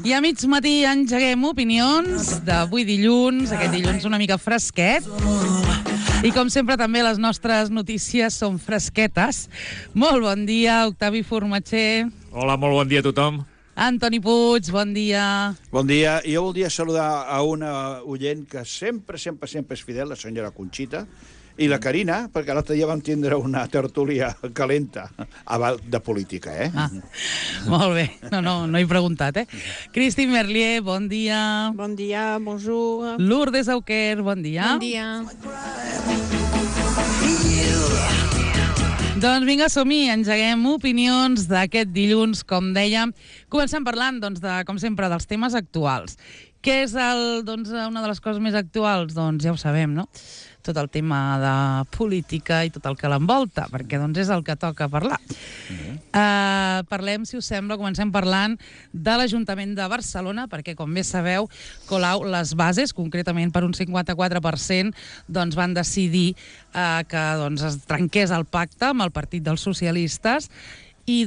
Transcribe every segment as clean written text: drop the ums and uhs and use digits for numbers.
I a mig matí engeguem opinions d'avui dilluns, aquest dilluns una mica fresquet. I com sempre també les nostres notícies són fresquetes. Molt bon dia, Octavi Formatxer. Hola, molt bon dia a tothom. Antoni Puig, bon dia. Bon dia. Jo voldria saludar a una oient que sempre és fidel, la senyora Conxita, i la Carina, perquè l'altre dia vam tindre una tertúlia calenta de política, eh? Ah, molt bé. No he preguntat, eh? Christine Merlier, bon dia. Bon dia, bonjour. Lourdes Auquer, bon dia. Bon dia. Doncs vinga, som-hi, engeguem opinions d'aquest dilluns, com dèiem. Comencem parlant, doncs, com sempre, dels temes actuals. Què és una de les coses més actuals? Doncs ja ho sabem, no? Tot el tema de política i tot el que l'envolta, perquè és el que toca parlar. Parlem, si us sembla, comencem parlant de l'Ajuntament de Barcelona, perquè, com bé sabeu, Colau, les bases, concretament per un 54%, van decidir que es trenqués el pacte amb el Partit dels Socialistes i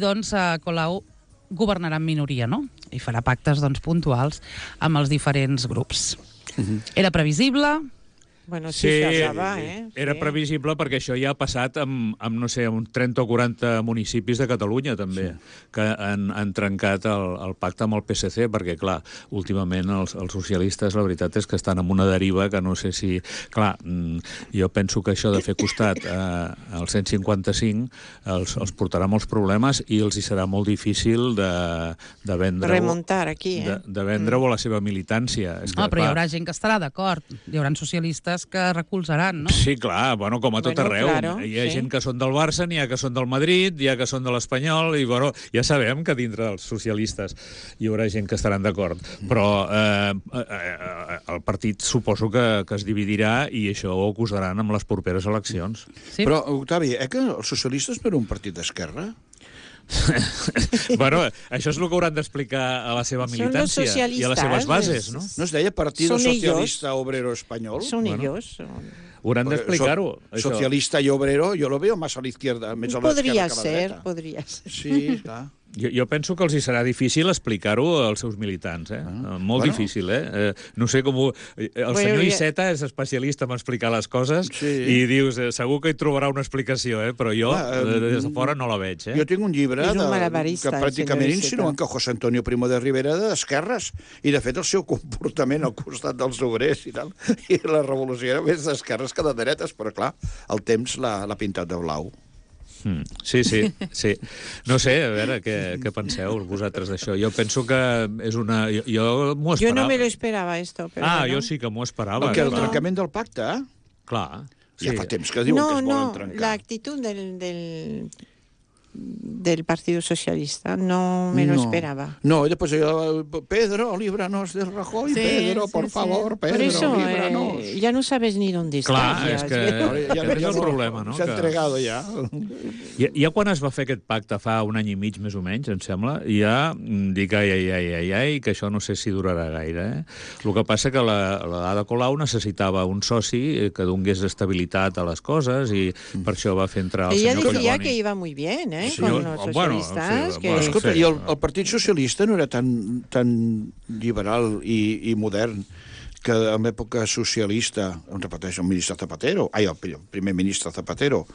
Colau governarà en minoria, no? I farà pactes puntuals amb els diferents grups. Era previsible? Bueno, sí, s'acaba, era previsible perquè això ja ha passat amb no sé, amb 30 o 40 municipis de Catalunya, també, que han trencat el pacte amb el PSC, perquè, clar, últimament els socialistes, la veritat és que estan en una deriva que no sé si... Clar, jo penso que això de fer costat al 155 els portarà molts problemes i els hi serà molt difícil de vendre-ho... Remuntar aquí, de vendre-ho a la seva militància. Però hi haurà gent que estarà d'acord, hi haurà socialistes que recolzaran, no? Sí, clar, com a tot arreu. Claro, hi ha gent que són del Barça, n'hi ha que són del Madrid, hi ha que són de l'Espanyol, i ja sabem que dintre dels socialistes hi haurà gent que estaran d'acord. Però el partit suposo que es dividirà i això ho acusaran amb les properes eleccions. Sí. Però, Octavi, que els socialistes no eren un partit d'esquerra? Això és el que hauran d'explicar a la seva militància i a les seves bases, no? No es deia Partido Socialista Obrero Español? Son ellos. Hauran d'explicar-ho. Socialista i obrero, jo lo veo más a la izquierda, més a l'esquerra que a la dreta. Podria ser. Sí, clar. Jo penso que els hi serà difícil explicar-ho als seus militants, molt difícil, no sé com... El senyor Iceta és especialista en explicar les coses i dius, segur que hi trobarà una explicació, però jo des de fora no la veig. Jo tinc un llibre que pràcticament insinuen que José Antonio Primo de Rivera era d'esquerres i, de fet, el seu comportament al costat dels obrers i tal, i la revolució era més d'esquerres que de dretes, però, clar, el temps l'ha pintat de blau. Sí. No sé, a veure, què penseu vosaltres d'això? Jo penso que és una... Jo m'ho esperava. Jo no me lo esperava, esto. Jo sí que m'ho esperava. El trencament del pacte, Clar. Ja fa temps que diuen que es volen trencar. No, l'actitud del Partido Socialista no me lo esperaba. No, y después Pedro, líbranos del Rajoy, Pedro, por favor, Pedro, líbranos. Ya no sabes ni dónde estás. Clar, és que és el problema, no? S'ha entregat ja. Ja quan es va fer aquest pacte, fa un any i mig, més o menys, em sembla, ja dic, que això no sé si durarà gaire, El que passa que l'Ada Colau necessitava un soci que donés estabilitat a les coses i per això va fer entrar el senyor Collboni. Ella decía que iba muy bien, con los socialistas. Escolta, i el Partit Socialista no era tan liberal i modern que en l'època socialista, repeteixo, el primer ministre Zapatero,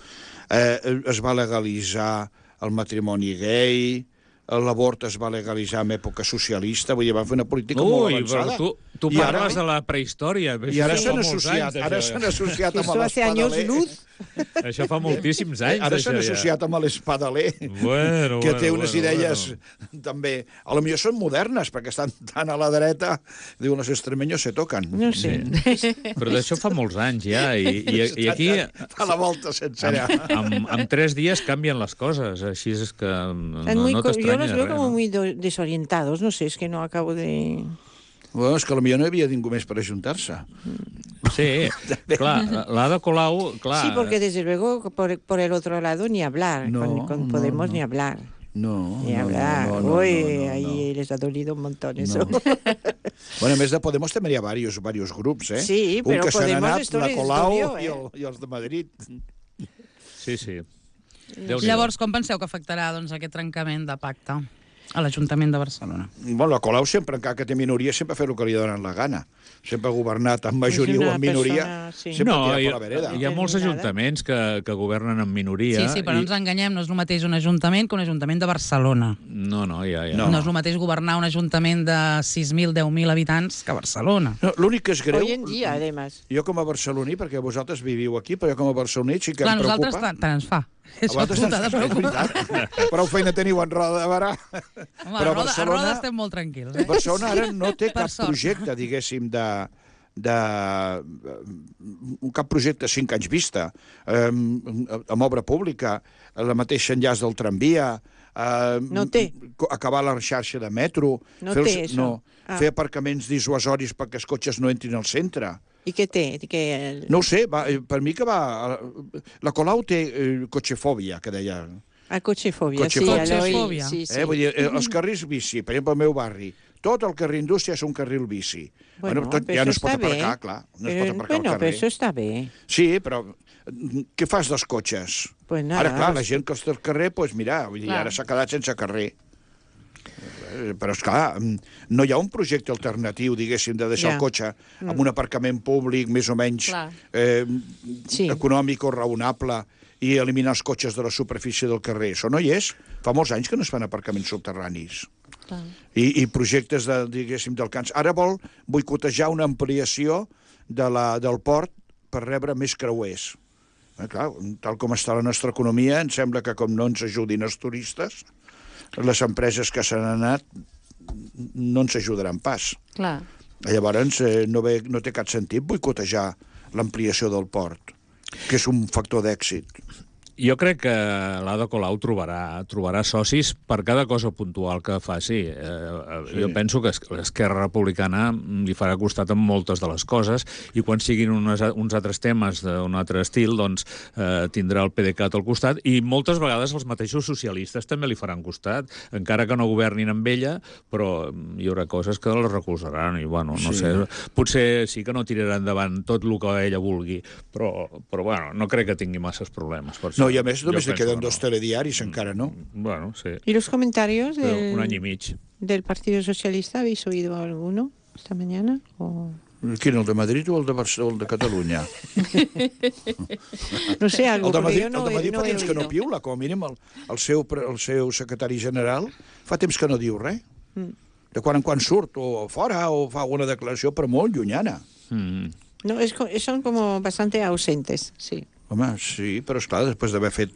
es va legalitzar el matrimoni gay, l'avort es va legalitzar en època socialista, vull dir, va fer una política molt avançada. Tu parles de la prehistòria. I ara s'han associat amb l'espadaler. Això fa moltíssims anys. Ara s'han associat amb l'espadaler, que té unes idees també... A lo millor són modernes, perquè estan tan a la dreta, diuen, los extremeños se tocan. No sé. Però d'això fa molts anys, ja, i aquí... Fa la volta sencera. En 3 dies canvien les coses, així és que no t'estranya. Yo los veo como muy desorientados, no sé, es que no acabo de... Bueno, és que potser no hi havia ningú més per ajuntar-se. Sí, clar, l'Ada Colau... Sí, porque desde luego por el otro lado ni hablar, con Podemos ni hablar. Ni hablar. Uy, ahí les ha dolido un montón eso. Bueno, a més de Podemos també hi ha diversos grups, Sí, però un que Podemos s'han anat, la Colau i els de Madrid. Sí. Llavors, com penseu que afectarà aquest trencament de pacte a l'Ajuntament de Barcelona? Bueno, la Colau sempre, encara que té minoria, sempre fa el que li donen la gana. Sempre ha governat amb majoria o amb minoria, sempre ha tirat per la vereda. Hi ha molts ajuntaments que governen amb minoria. Sí, però no ens enganyem, no és el mateix un ajuntament que un ajuntament de Barcelona. No, ja. No és el mateix governar un ajuntament de 6.000, 10.000 habitants que Barcelona. No, l'únic que és greu... Hoy en dia, además. Jo com a barceloní, perquè vosaltres viviu aquí, però jo com a barceloní sí que em preocupa... Clar, nosaltres tant ens fa. A vosaltres és veritat. Prou feina teniu en Roda de Barà. Home, a Roda estem molt tranquils. Barcelona ara no té cap projecte, diguéssim, cap projecte a 5 anys vista, amb obra pública, la mateixa enllaç del tramvia, no té. Acabar la xarxa de metro, fer aparcaments dissuasoris perquè els cotxes no entrin al centre. I què té? No ho sé, per mi que va... La Colau té cotxefòbia, que deia. Cotxefòbia, sí. Vull dir, els carrils bici, per exemple, al meu barri, tot el carrer Indústria és un carril bici. Ja no es pot aparcar, clar. No es pot aparcar al carrer. Però això està bé. Sí, però què fas dels cotxes? Ara, clar, la gent que està al carrer, doncs mira, ara s'ha quedat sense carrer. Però, esclar, no hi ha un projecte alternatiu, diguéssim, de deixar el cotxe amb un aparcament públic més o menys econòmic o raonable i eliminar els cotxes de la superfície del carrer. Això no hi és. Fa molts anys que no es fan aparcaments subterranis. I projectes, diguéssim, del Camps. Ara vol boicotejar una ampliació del port per rebre més creuers. Clar, tal com està la nostra economia, em sembla que com no ens ajudin els turistes, les empreses que s'han anat no ens ajudaran pas. Clar. Llavors no té cap sentit boicotejar l'ampliació del port, que és un factor d'èxit. Jo crec que l'Ada Colau trobarà socis per cada cosa puntual que faci. Jo penso que l'Esquerra Republicana li farà costat amb moltes de les coses i quan siguin uns altres temes d'un altre estil, doncs tindrà el PDeCAT al costat i moltes vegades els mateixos socialistes també li faran costat, encara que no governin amb ella, però hi haurà coses que les recolzaran i, bueno, no sé, potser sí que no tirarà endavant tot el que ella vulgui, però bueno, no crec que tingui masses problemes. No, i a més només li queden 2 telediaris encara, ¿no? Bueno, sí. ¿Y los comentarios un año y medio del Partido Socialista? ¿Habéis oído alguno esta mañana? Quin, el de Madrid o el de Barcelona, el de Catalunya? No sé, algo, el de Madrid fa temps que no piula, com a mínim el seu secretari general fa temps que no diu res. De quan en quan surt o fora o fa alguna declaració, però molt llunyana. No, son como bastante ausentes, sí. Home, sí, però esclar, després d'haver fet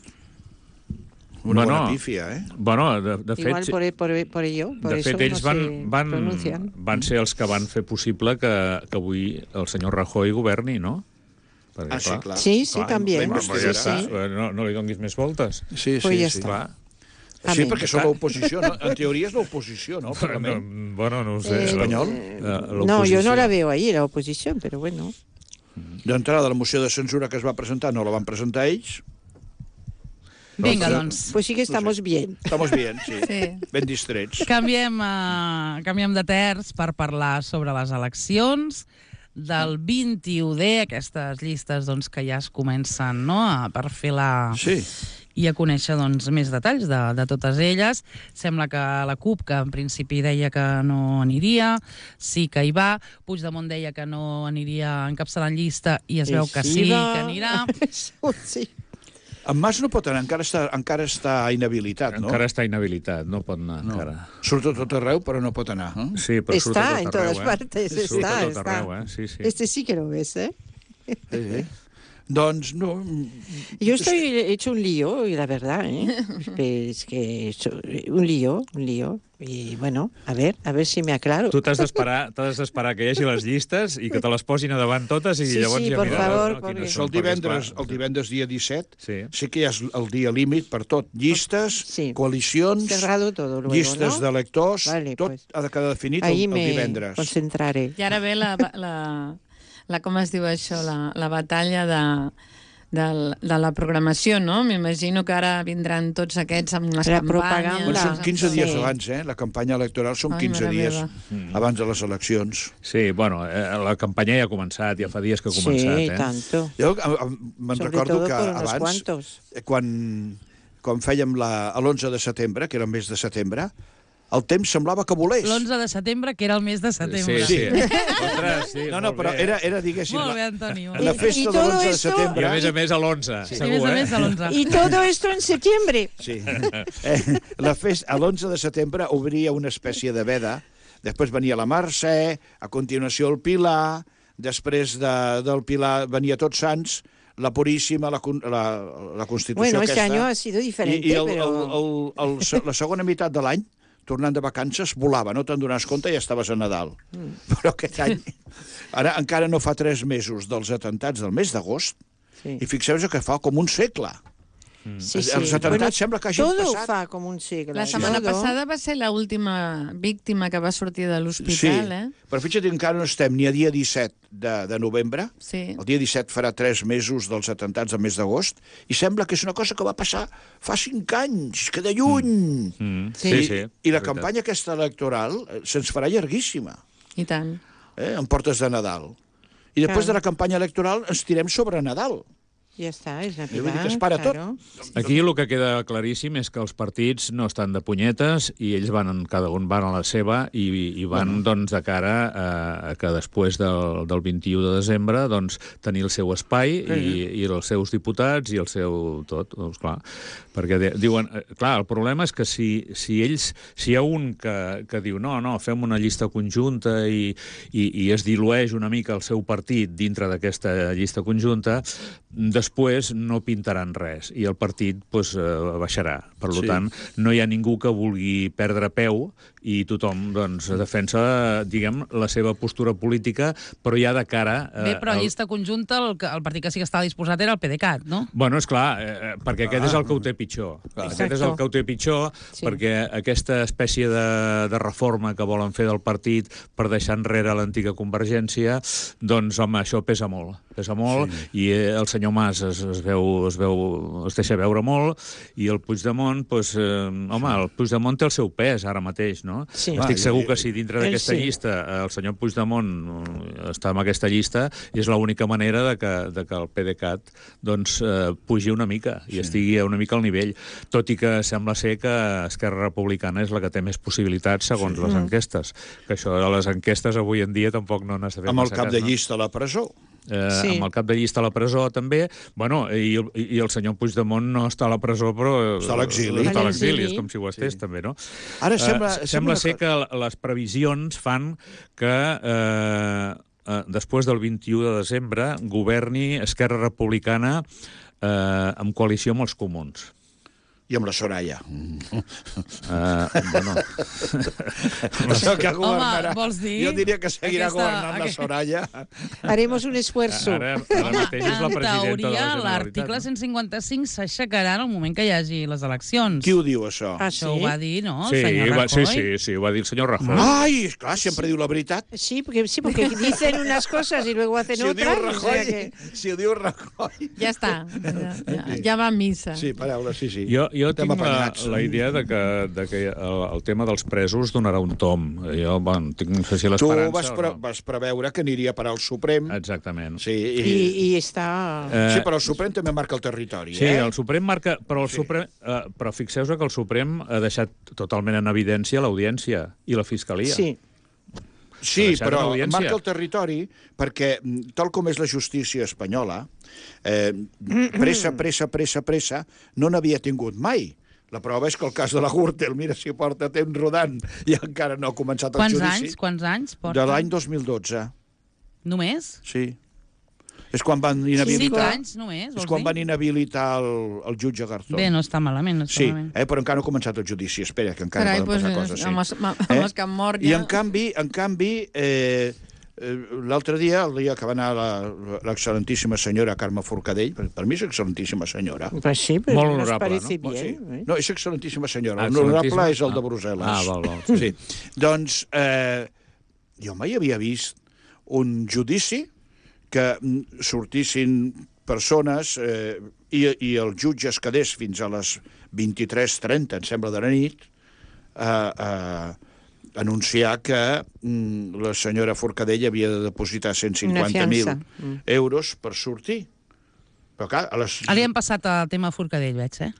una bona pífia, Bueno, de fet... Igual por ello, por eso ells no se pronuncian. Van ser els que van fer possible que avui el senyor Rajoy governi, no? Perquè, sí, clar. Sí, también. No li donguis més voltes. Sí, clar. Sí, perquè són l'oposició, no? En teoria és l'oposició, no? Bueno, no ho sé. Espanyol? No, yo no la veo ahí, la oposición, pero bueno... D'entrada, la moció de censura que es va presentar no la van presentar ells. Vinga, doncs. Pues sí que estamos bien. Estamos bien, sí. Ben distrets. Canviem de terç per parlar sobre les eleccions del 21D, aquestes llistes que ja es comencen a perfilar i a conèixer més detalls de totes elles. Sembla que la CUP, que en principi deia que no aniria, sí que hi va. Puigdemont deia que no aniria encapçalant llista i es veu que sí que anirà. Sí. En Mas no pot anar, encara està inhabilitat, no? Encara està inhabilitat, no pot anar encara. Surt a tot arreu, però no pot anar. Sí, però surt a tot arreu. Está en todas partes, está. Sí. Este sí que lo ves, ¿eh? Sí. Doncs no... Yo he hecho un lío, y la verdad, es que he hecho un lío. Y bueno, a ver si me aclaro. Tu t'has d'esperar que hi hagi les llistes i que te les posin a davant totes i llavors ja miraràs. El divendres dia 17 sí que hi ha el dia límit per tot. Llistes, coalicions, llistes d'electors, tot ha de quedar definit el divendres. Ahí me concentraré. I ara ve com es diu això, la batalla de la programació, no? M'imagino que ara vindran tots aquests amb les campanyes. Són 15 dies abans, la campanya electoral són 15 dies abans de les eleccions. Sí, bueno, la campanya ja ha començat, ja fa dies que ha començat. Sí, tanto. Jo me'n recordo que abans, quan quan fèiem l'11 de setembre, que era el mes de setembre, el temps semblava que volés. L'11 de setembre, que era el mes de setembre. Sí. Ostres, sí, no, però era, diguéssim... Molt bé, Antoni. La festa de l'11 de setembre... I a més a l'11, Sí, segur, a més a l'11. Y todo esto en septiembre. Sí. L'11 de setembre obria una espècie de veda, després venia la Mercè, a continuació el Pilar, després del Pilar venia Tots Sants, la Puríssima, la Constitució bueno, aquesta... Bueno, este año ha sido diferente, però... la segona meitat de l'any, tornant de vacances, volava, no te'n donaves compte i ja estaves a Nadal. Però aquest any, ara encara no fa 3 mesos dels atemptats del mes d'agost, i fixeu-vos que fa com un segle. Sí. Els atemptats sembla que hagin todo passat... fa com un segle. La setmana passada va ser l'última víctima que va sortir de l'hospital, però fixa't, encara no estem ni a dia 17 de novembre. Sí. El dia 17 farà 3 mesos dels atemptats del mes d'agost, i sembla que és una cosa que va passar fa 5 anys, que de lluny. Sí. I la campanya aquesta electoral se'ns farà llarguíssima. I tant. En portes de Nadal. I després de la campanya electoral ens tirem sobre Nadal. Ja està, és Vull dir que Navidad, es para claro. Aquí el que queda claríssim és que els partits no estan de punyetes i ells cada un van a la seva i van doncs, de cara a que després del 21 de desembre doncs, tenir el seu espai i els seus diputats i el seu tot. Doncs, clar, perquè diuen... Clar, el problema és que si hi ha un que diu no, fem una llista conjunta i es dilueix una mica el seu partit dintre d'aquesta llista conjunta, després no pintaran res i el partit baixarà. Per tant, no hi ha ningú que vulgui perdre peu i tothom defensa, diguem, la seva postura política, però ja de cara... Bé, però a llista conjunta el partit que sí que estava disposat era el PDeCAT, no? Bueno, esclar, perquè aquest és el que ho té pitjor. Aquest és el que ho té pitjor perquè aquesta espècie de reforma que volen fer del partit per deixar enrere l'antiga Convergència, doncs, home, això pesa molt. Pesa molt i el senyor Mas es deixa veure molt i el Puigdemont, el Puigdemont té el seu pes ara mateix, no? Sí. Estic segur que si dintre d'aquesta llista el senyor Puigdemont està en aquesta llista és l'única manera de que el PDeCAT pugi una mica i estigui una mica al nivell. Tot i que sembla ser que Esquerra Republicana és la que té més possibilitats segons les enquestes. Que això de les enquestes avui en dia tampoc no n'has de fer amb el cap de llista a la presó. Amb el cap de llista a la presó també, i el senyor Puigdemont no està a la presó però està a l'exili, és com si ho estés també, no? Ara sembla ser que les previsions fan que després del 21 de desembre governi Esquerra Republicana en coalició amb els comuns. I amb la Soraya. Bueno... Home, vols dir... Jo diria que seguirà governant la Soraya. Haremos un esfuerzo. Ara mateix és la presidenta de la Generalitat. L'article 155 s'aixecarà en el moment que hi hagi les eleccions. Qui ho diu, això? Això ho va dir, no? El senyor Rajoy. Sí, ho va dir el senyor Rajoy. Ai, esclar, sempre diu la veritat. Sí, porque dicen unas cosas y luego hacen otras. Si ho diu Rajoy... Ja està. Ja va a missa. Sí, paraules, sí. Jo tinc la idea de que el tema dels presos donarà un tom. Jo tinc, no sé si l'esperança... Tu vas preveure que aniria a parar al Suprem. Exactament. Sí, i està... Sí, però el Suprem també marca el territori. Sí, el Suprem marca... Però fixeu-vos que el Suprem ha deixat totalment en evidència l'audiència i la Fiscalia. Sí, però marca el territori perquè, tal com és la justícia espanyola, pressa, no n'havia tingut mai. La prova és que el cas de la Gürtel, mira si porta temps rodant i encara no ha començat el judici. Quants anys porta? De l'any 2012. Només? Sí. És quan van inhabilitar... 5 anys només, és quan van inhabilitar el jutge Garzón. Bé, no està malament, però encara no ha començat el judici. Espera, que encara poden passar coses. Amb els que han mort ja... I en canvi, l'altre dia, el dia que va anar l'excel·lentíssima senyora Carme Forcadell, per mi és excel·lentíssima senyora. Pues sí, pero molt honorable, no? Sí. No, és excel·lentíssima senyora. L'honorable és el de Brussel·les. Val. Sí. Doncs jo mai havia vist un judici que sortissin persones i el jutge es quedés fins a les 23:30, em sembla, de la nit, anunciar que la senyora Forcadell havia de depositar 150.000 euros per sortir. Però clar, Li hem passat el tema Forcadell, veig,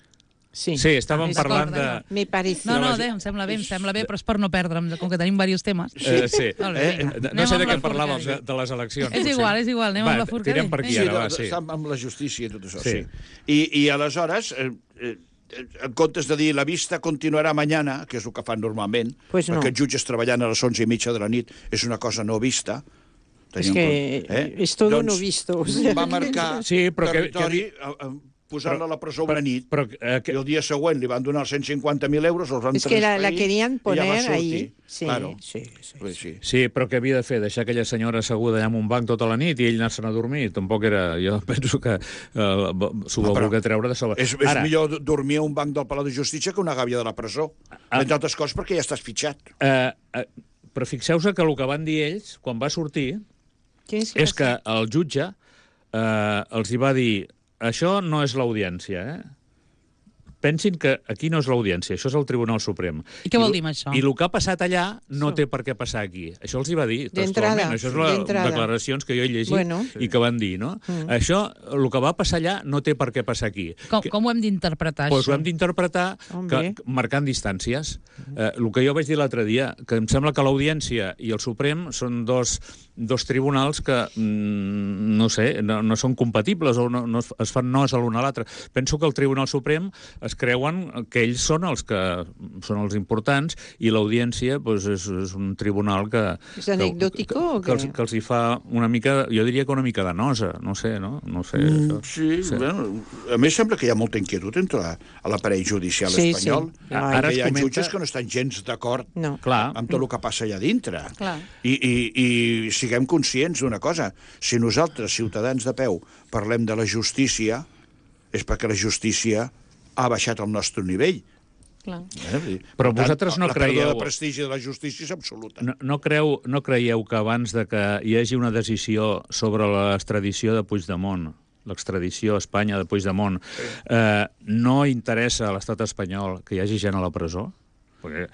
Sí, estàvem parlant de... Me parece. No, em sembla bé, però és per no perdre'm, com que tenim diversos temes. Sí. No sé de què parlàvem, de les eleccions. És igual, anem amb la Forcadell. Tirem per aquí ara, va, sí. Estem amb la justícia i tot això, sí. I aleshores, en comptes de dir la vista continuarà mañana, que és el que fan normalment, perquè els jutges treballant a les 11:30 de la nit és una cosa no vista. És que és tot no visto. Va marcar territori... posant-la a la presó una nit, i el dia següent li van donar 150.000 euros, els van transferir... És que la querían poner ahí. Sí, però què havia de fer? Deixar aquella senyora asseguda allà en un banc tota la nit i ell anar-se'n a dormir? Tampoc era... Jo penso que s'ho va voler treure de sobre. És millor dormir a un banc del Palau de Justícia que una gàbia de la presó. Entre altres coses perquè ja estàs fitxat. Però fixeu-vos que el que van dir ells, quan va sortir, és que el jutge els hi va dir: això no és l'audiència, Pensin que aquí no és l'audiència, això és el Tribunal Suprem. I què vol dir amb això? I el que ha passat allà no té per què passar aquí. Això els hi va dir textualment. Això és les declaracions que jo he llegit i que van dir, no? Això, el que va passar allà, no té per què passar aquí. Com ho hem d'interpretar, això? Doncs ho hem d'interpretar marcant distàncies. El que jo vaig dir l'altre dia, que em sembla que l'audiència i el Suprem són dos tribunals que, no sé, no són compatibles o no es fan no's a l'un a l'altre. Penso que el Tribunal Suprem es creuen que ells són els que són els importants i l'audiència és un tribunal que... És anecdòtico o què? Que els hi fa una mica, jo diria que una mica de nosa, no sé, no? Sí, bueno, a més sembla que hi ha molta inquietud entre l'aparell judicial espanyol. Ara hi ha jutges que no estan gens d'acord amb tot el que passa allà dintre. I siguem conscients d'una cosa, si nosaltres, ciutadans de peu, parlem de la justícia, és perquè la justícia ha baixat el nostre nivell. Però vosaltres no creieu... La pèrdua de prestigi de la justícia és absoluta. No creieu que abans de que hi hagi una decisió sobre l'extradició de Puigdemont, l'extradició a Espanya de Puigdemont, no interessa a l'estat espanyol que hi hagi gent a la presó?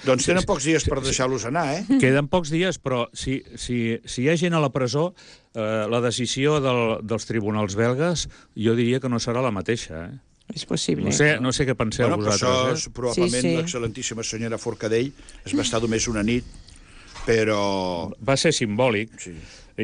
Doncs tenen pocs dies per deixar-los anar, Queden pocs dies, però si hi ha gent a la presó, la decisió dels tribunals belgues jo diria que no serà la mateixa, És possible. No sé què penseu vosaltres. Això, probablement, l'excel·lentíssima senyora Forcadell es va estar només una nit, però... Va ser simbòlic.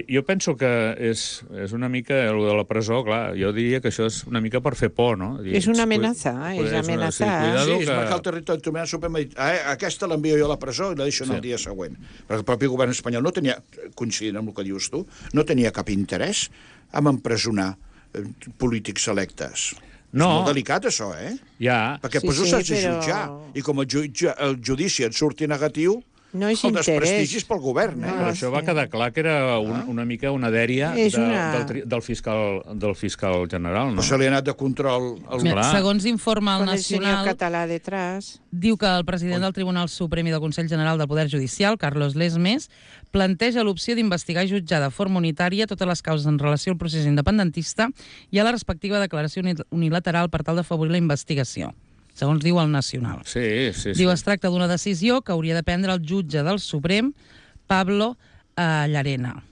Jo penso que és una mica... El de la presó, clar, jo diria que això és una mica per fer por, no? És una amenaça, és amenaçar. Sí, és marcar el territori Tribunal Suprem i dir, aquesta l'envio jo a la presó i la deixo el dia següent. Perquè el propi govern espanyol no tenia, coincidint amb el que dius tu, no tenia cap interès en empresonar polítics electes. No. És molt delicat, això, Ja. Perquè després ho saps de jutjar. I com el judici et surti negatiu, el desprestigi és pel govern. Però això va quedar clar que era una mica una dèria del fiscal general, no? Però se li ha anat de control... Segons informa el Nacional, català detrás, diu que el president del Tribunal Suprem i del Consell General del Poder Judicial, Carlos Lesmes, planteja l'opció d'investigar i jutjar de forma unitària totes les causes en relació al procés independentista i a la respectiva declaració unilateral per tal d'afavorir la investigació, segons diu el Nacional. Sí. Diu, es tracta d'una decisió que hauria de prendre el jutge del Suprem, Pablo Llarena.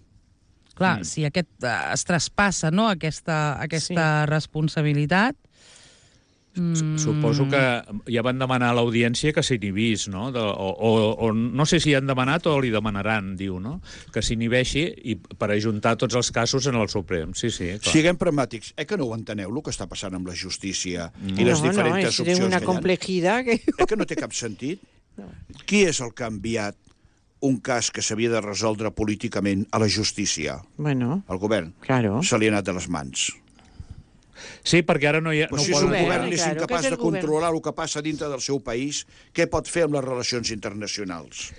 Clar, si es traspassa aquesta responsabilitat... Suposo que ja van demanar a l'audiència que s'inhibís, no? O no sé si han demanat o li demanaran, diu, no? Que s'inhibeixi per ajuntar tots els casos en el Suprem. Sí, clar. Siguem pragmàtics. Que no ho enteneu, el que està passant amb la justícia i les diferents opcions que hi ha? Una complejidad que no té cap sentit. Qui és el que ha enviat un cas que s'havia de resoldre políticament a la justícia? Bueno, el govern. Claro. Se li ha anat de les mans. Sí, perquè ara no hi ha... Si és un govern és incapaç de controlar el que passa dintre del seu país, què pot fer amb les relacions internacionals?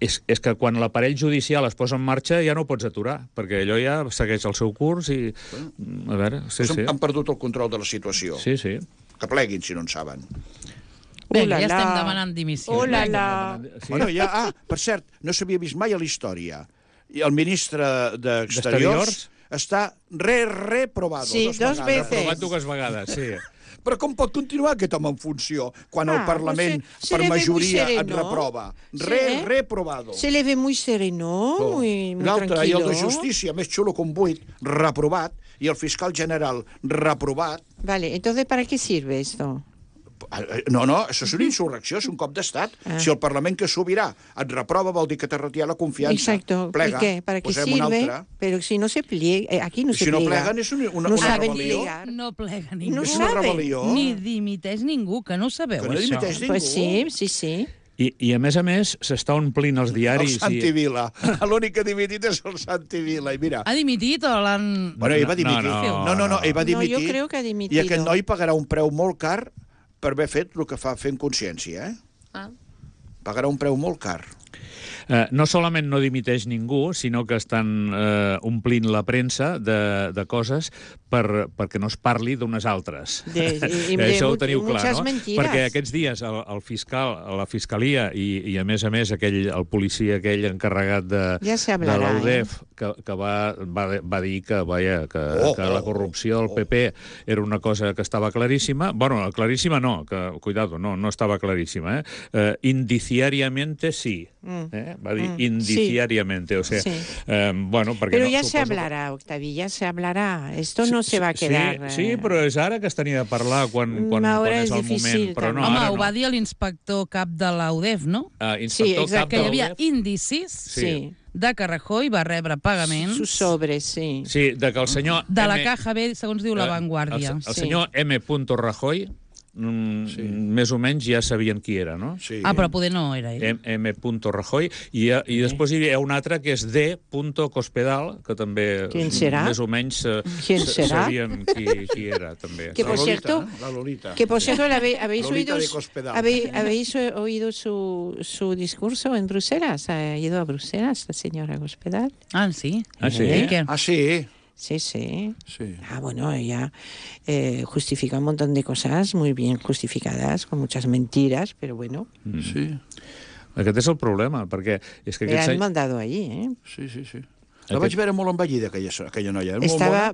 És que quan l'aparell judicial es posa en marxa ja no ho pots aturar, perquè allò ja segueix el seu curs i... A veure, Han perdut el control de la situació. Sí. Que pleguin, si no en saben. Ja estem demanant dimissió. Bueno, per cert, no s'havia vist mai a la història. I el ministre d'Exteriors està reprobado. Sí, dos veces. Reprovat dues vegades, sí. Però com pot continuar aquest home en funció quan el Parlament per majoria et reprova? Reprobado. Se le ve muy sereno, muy tranquilo. I el de Justícia, més xulo que un buit, reprovat, i el fiscal general reprovat. Vale, entonces, ¿para qué sirve esto? No, això és una insurrecció, és un cop d'estat. Si el Parlament que sobirà et reprova, vol dir que te retira la confiança. Exacto. Plega, ¿Y qué? ¿Para qué sirve? Pero si no se pliega, aquí no se pliega. Si no pleguen és una rebel·lió. No plega ningú. És una rebel·lió. Ni dimiteix ningú, que no ho sabeu, això. Que no dimiteix ningú. Pues sí. I a més, s'està omplint els diaris... El Santi Vila. L'únic que ha dimitit és el Santi Vila. I mira... Ha dimitit o l'han... Bueno, ell va dimitir. No, ell va dimitir. No, jo crec que ha dimitit. I aquest noi pagarà un preu molt car per haver fet el que fa fent consciència, Pagarà un preu molt car. No solament no dimiteix ningú, sinó que estan omplint la premsa de coses perquè no es parli d'unes altres. Això ho teniu clar, no? Perquè aquests dies el fiscal, la fiscalia i a més, el policia aquell encarregat de l'UDEF que va dir que la corrupció del PP era una cosa que estava claríssima. Bueno, claríssima no, cuidado, no estava claríssima. Indiciariamente sí. Va dir indiciariamente, o sea, bueno, perquè pero ya se hablará, Octavi, ya se hablará. Esto no se va a quedar... Sí, però és ara que es tenia de parlar quan és el moment. Però no, home, ho va dir l'inspector cap de l'UDEF, no? Sí, exacte. Que hi havia indicis de que Rajoy va rebre pagaments... Sus sobres, sí. Sí, de que el senyor... De la Caja B, segons diu La Vanguardia. El senyor M. Rajoy... més o menys ja sabien qui era, no? Sí. Però poder no era ell. M. Rajoy, i després hi ha un altre que és D. Cospedal, que també més o menys sabien qui era, també. Que por cierto, la Lolita. Que por cierto, ¿habéis oído su discurso en Bruselas? ¿Ha ido a Bruselas la señora Cospedal? Sí. Sí. Sí. Bueno, ella justifica un montón de cosas muy bien justificadas, con muchas mentiras, pero bueno. Sí. Aquest és el problema, perquè... És que le han mandado allí, Sí. La vaig veure molt envellida, aquella noia.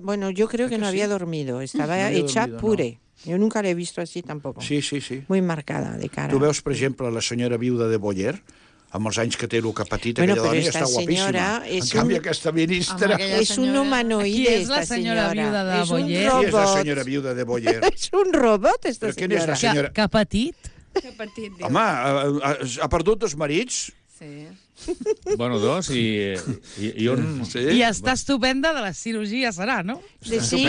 Bueno, yo creo que no había dormido, estaba hecha puré. Yo nunca la he visto así tampoco. Sí. Muy marcada de cara. Tu veus, per exemple, la senyora viuda de Boyer, amb els anys que té el que ha patit, aquella dona està guapíssima. En canvi, aquesta ministra... És un humanoide, Qui és la senyora viuda de Boyer? Qui és la senyora viuda de Boyer? És un robot, esta senyora. Que ha patit? Home, ha perdut dos marits? Sí. Bueno, dos, i un... I està estupenda de la cirurgia, serà, no? Sí,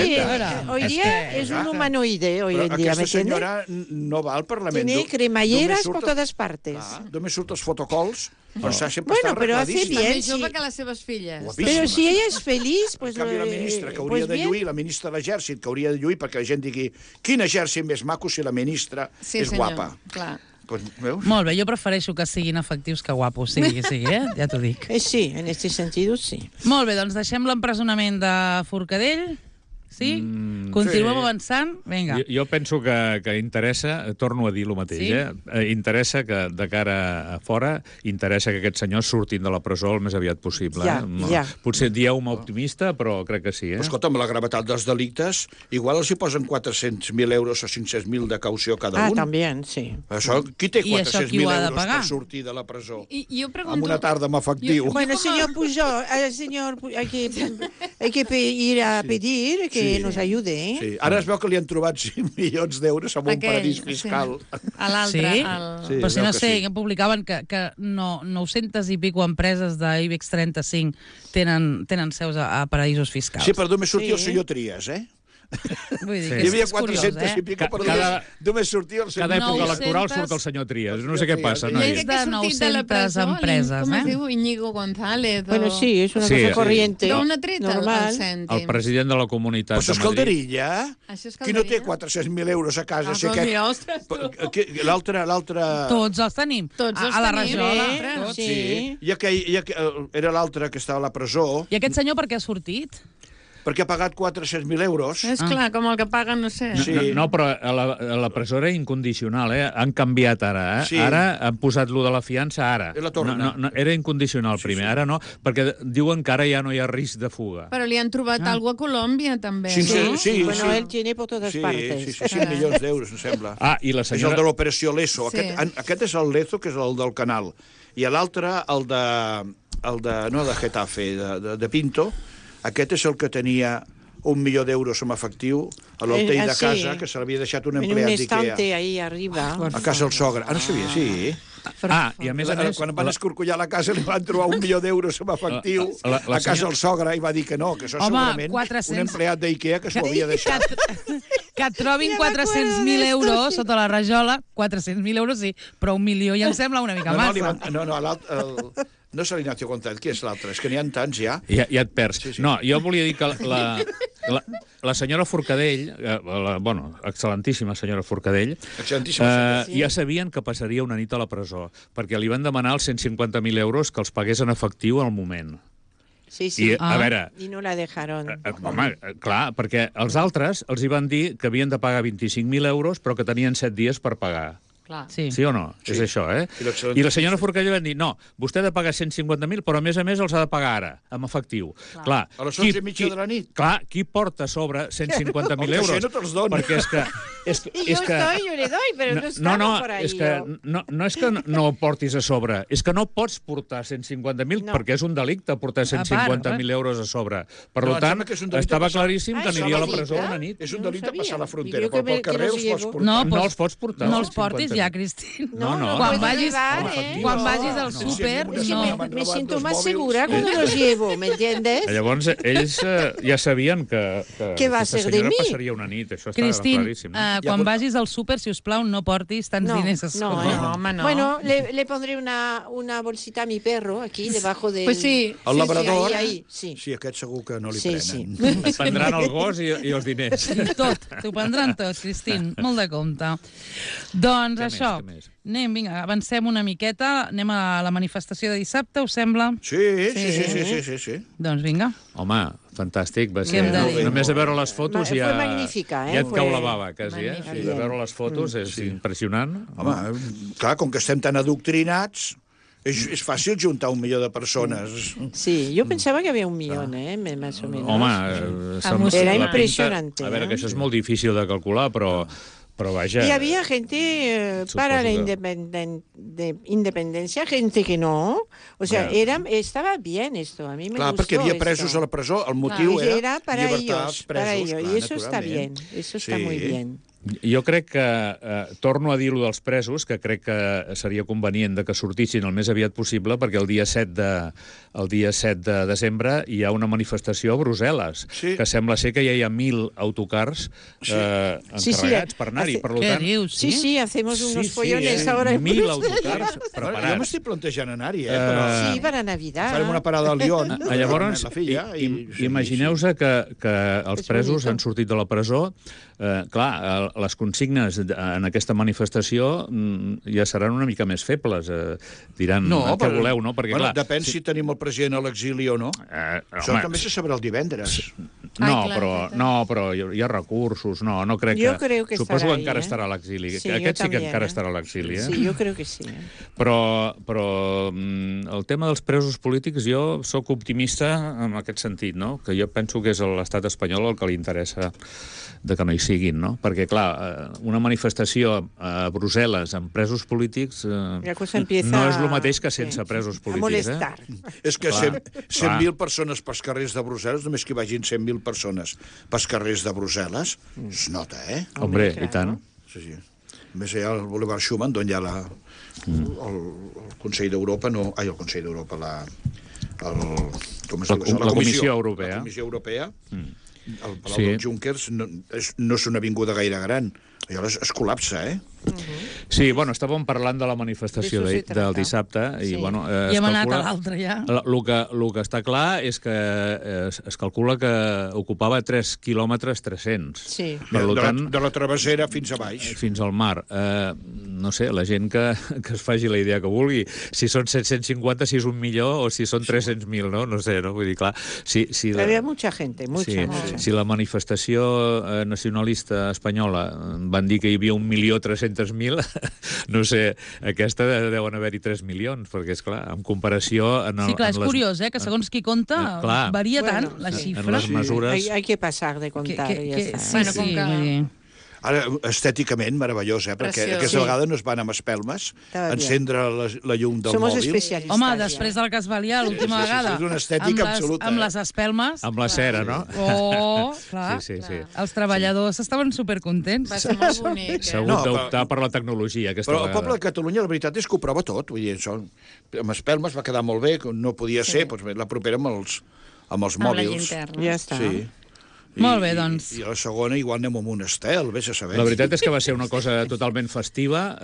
hoy día es un humanoide, hoy en día, aquesta senyora no va al Parlament. Tiene cremalleras por todas partes. Només surt els fotocols, però sempre bueno, està pero hace arregladíssima. bien. Més jove que les seves filles. Pero si ella es feliz, pues... En canvi, la ministra que hauria de lluir, la ministra de l'Exèrcit que hauria de lluir perquè la gent digui quin exèrcit més maco si la ministra és guapa. Clar. Molt bé, jo prefereixo que siguin efectius que guapos, sigui, ja t'ho dic. Sí, en este sentido, sí. Molt bé, doncs deixem l'empresonament de Forcadell. Sí? Continuem avançant? Vinga. Jo penso que interessa, torno a dir el mateix, interessa que de cara a fora, interessa que aquests senyors surtin de la presó el més aviat possible. Potser dieu-me optimista, però crec que sí. Escolta, amb la gravetat dels delictes, igual els hi posen 400.000 euros o 500.000 de caució cada un. També, sí. Això, qui té 400.000 euros per sortir de la presó? Jo pregunto... Amb una tarda amb efectiu. Bueno, señor Pujol, hay que ir a pedir que nos ayude, Sí. Ara es veu que li han trobat 5 milions d'euros amb un paradís fiscal. A l'altre. Sí? Però si no sé, que publicaven que 900 i pico empreses d'IBEX 35 tenen seus a paradisos fiscals. Sí, però només sortia el senyor Trias, Vull dir que hi havia 400 i pico, però només sortia el senyor Cada època electoral surt el senyor Trias. No sé què passa. Més de 900 empreses. Com es diu? Íñigo González. Bueno, sí, és una cosa corriente. D'una treta normal. El president de la Comunitat de Madrid. Això és calderilla. Qui no té 400.000 euros a casa? L'altre... Tots els tenim. A la rajola. Sí. I era l'altre que estava a la presó. I aquest senyor per què ha sortit? Perquè ha pagat 400.000 euros. És clar, com el que paguen, no sé. No, però a la presó era incondicional, Han canviat ara, Ara han posat lo de la fiança, ara. Era incondicional primer, ara no, perquè diuen que ara ja no hi ha risc de fuga. Però li han trobat alguna a Colòmbia, també. Sí. Bueno, él tiene por todas partes. Sí, 5 milions d'euros, em sembla. I la senyora... És el de l'operació Leso. Aquest és el Lezo, que és el del Canal. I l'altre, el de Getafe, de Pinto. Aquest és el que tenia 1.000.000 d'euros en efectiu a l'hotel de casa, que se l'havia deixat un empleat d'IKEA. En un estante ahí arriba. A casa del sogre. No sabia, sí. I a més a més... Quan van escorcollar la casa li van trobar 1.000.000 d'euros en efectiu a casa del sogre i va dir que no, que això segurament un empleat d'IKEA que s'ho havia deixat. Que trobin 400.000 euros sota la rajola, 400.000 euros sí, però 1 milió ja em sembla una mica massa. No és l'Ignacio González, qui és l'altre? És que n'hi ha tants ja. Ja et perds. No, jo volia dir que la senyora Forcadell, excel·lentíssima senyora Forcadell, ja sabien que passaria una nit a la presó, perquè li van demanar els 150.000 euros que els pagués en efectiu al moment. Sí, sí. A veure... I no la dejaron. Home, clar, perquè els altres els hi van dir que havien de pagar 25.000 euros, però que tenien 7 dies per pagar. Sí. Sí o no? Sí. És això, eh? I la senyora Forcadell va dir, no, vostè ha de pagar 150.000, però a més els ha de pagar ara, amb efectiu. Clar. A les 11:30 de la nit. Clar, qui porta a sobre 150.000 euros? No te'ls dona. Perquè és que... yo le doy, pero no estaba por ahí. No és que no ho portis a sobre, és que no pots portar 150.000 perquè és un delicte portar 150.000 euros a sobre. Per tant, estava claríssim que aniria a la presó una nit. És un delicte passar la frontera, però pel carrer els pots portar. No els pots portar. No els portis ja, Cristín. No. Quan vagis al súper, no. Me siento más segura cuando los llevo, ¿me entiendes? Llavors, ells ja sabien que aquesta senyora passaria una nit, això estava claríssim. Quan vagis al súper, si us plau, no portis tants diners a sobre. No. Bueno, le pondré una bolsita a mi perro aquí, debajo de... Pues sí. El labrador? Sí, aquest segur que no li prenen. Sí. Prendran el gos i els diners. Tot, t'ho prendran tot, Cristín. Molt de compte. Doncs això, anem, vinga, avancem una miqueta, anem a la manifestació de dissabte, us sembla? Sí. Doncs vinga. Home, fantàstic, va ser. Només de veure les fotos ja et cau la bava, quasi, eh? De veure les fotos és impressionant. Home, clar, com que estem tan adoctrinats, és fàcil juntar 1.000.000 de persones. Sí, yo pensaba que había 1 millón, más o menos. Home, era impresionante. A veure, que això és molt difícil de calcular, però vaya... Y había gente para la independencia, gente que no. O sea, estaba bien esto, a mí me gustó. Clar, perquè hi havia presos a la presó, el motiu era para llibertar ellos, presos. Y eso está bien, eso está muy bien. Jo crec que, torno a dir-lo dels presos, que crec que seria convenient que sortissin el més aviat possible, perquè el dia 7 de desembre hi ha una manifestació a Brussel·les, que sembla ser que ja hi ha 1.000 autocars encarregats per anar-hi. Què dius? Sí, hacemos unos follones ahora. 1.000 autocars preparats. Jo m'estic plantejant anar-hi, Sí, para Navidad. Farem una parada al Lyon. Llavors, imagineu-vos que els presos han sortit de la presó. Clar, les consignes en aquesta manifestació ja seran una mica més febles. Diran, què voleu, no? Perquè, clar, depèn si tenim el president a l'exili o no. Això també se sabrà el divendres. No, però hi ha recursos. No crec que... Jo crec que suposo que encara estarà a l'exili. Aquest sí que encara estarà a l'exili. Sí, jo crec que sí. Però el tema dels presos polítics, jo sóc optimista en aquest sentit, no? Que jo penso que és l'estat espanyol el que li interessa de que no hi siguin, no? Perquè, clar, una manifestació a Brussel·les amb presos polítics no és el mateix que sense presos polítics. A molestar. És que 100.000 persones pels carrers de Brussel·les, només que hi vagin 100.000 persones pels carrers de Brussel·les, es nota, eh? Hombre, i tant. Sí. Més allà al Boulevard Schumann, on hi ha el Consell d'Europa, el Consell d'Europa, la Comissió Europea. La Comissió Europea. El Palau dels Junkers no és una avinguda gaire gran. Llavors es col·lapsa, eh? Sí, bueno, estàvem parlant de la manifestació del dissabte i, bueno... I hem anat a l'altre, ja. El que està clar és que es calcula que ocupava 3 quilòmetres 300. Sí. De la travessera fins a baix. Fins al mar. No sé, la gent que es faci la idea que vulgui. Si són 750, si és 1 milió, o si són 300.000, no? No sé, no? Vull dir, clar... Había mucha gente, mucha. Si la manifestació nacionalista espanyola van dir que hi havia 1.300.000, no sé, aquesta deuen haver-hi 3 milions, perquè, és clar, en comparació... Sí, clar, és curiós, que segons qui compta varia tant la xifra. En les mesures... Hay que pasar de contar, ja està. Bueno, com que... Ara, estèticament, meravellós, perquè aquesta vegada no es van amb espelmes, encendre la llum del Somos mòbil. especialistes. Home, després del que es valia l'última vegada. És una estètica absoluta. Amb les espelmes. Amb la cera, no? Oh, clar. Sí. Els treballadors estaven supercontents. Va ser molt bonic. S'ha hagut d'optar per la tecnologia aquesta vegada. Però el poble de Catalunya, la veritat és que ho prova tot. Vull dir, això, amb espelmes va quedar molt bé, no podia ser, doncs la propera amb els mòbils. Amb la llinterna. Ja està. Sí. Molt bé, doncs. I a la segona igual anem amb un estel, vés a saber. La veritat és que va ser una cosa totalment festiva.